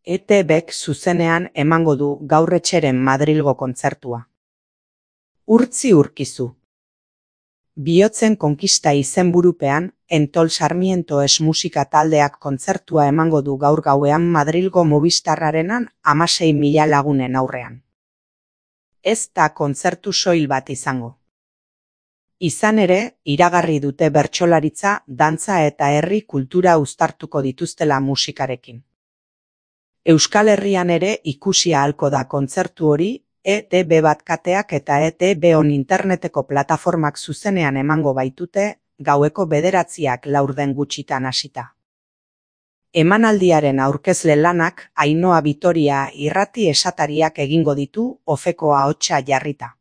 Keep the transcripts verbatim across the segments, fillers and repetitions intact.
E T Bk zuzenean emango du gaur Etxeren Madrilgo kontzertua. Urtzi urkizu. Bihotzen konkista izenburupean, Entol Sarmiento es musika taldeak kontzertua emango du gaur gauean Madrilgo Movistarrarenan hamasei mila lagunen aurrean. Ez da kontzertu soil bat izango. Izan ere, iragarri dute bertsolaritza, dantza eta herri kultura uztartuko dituztela musikarekin. Euskal Herrian ere ikusi ahalko da kontzertu hori, E T B bat kateak eta E T B on interneteko plataformak zuzenean emango baitute, gaueko bederatziak laurden gutxitan hasita. Emanaldiaren aurkezle lanak Ainhoa Vitoria irrati esatariak egingo ditu ofeko ahotsa jarrita.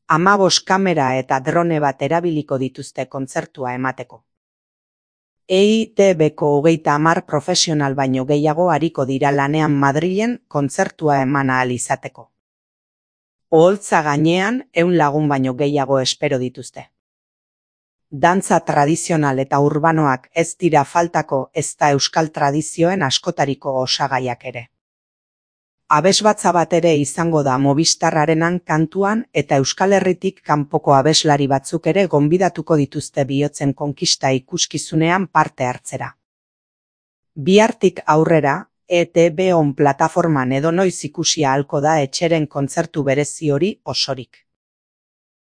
Hamabost kamera eta drone bat erabiliko dituzte kontzertua emateko. E I T Bko hogeita hamar profesional baino gehiago ariko dira lanean Madrilen kontzertua eman ahal izateko. Oholtza gainean ehun lagun baino gehiago espero dituzte. Dantza tradizional eta urbanoak ez dira faltako ezta euskal tradizioen askotariko osagaiak ere. Abesbatza bat ere izango da Movistarrarenan kantuan eta Euskal Herritik kanpoko abeslari batzuk ere gonbidatuko dituzte bihotzen konkista ikuskizunean parte hartzera. Bihartik aurrera, E T B on plataforman edonoiz ikusi ahalko da Etxeren kontzertu berezi hori osorik.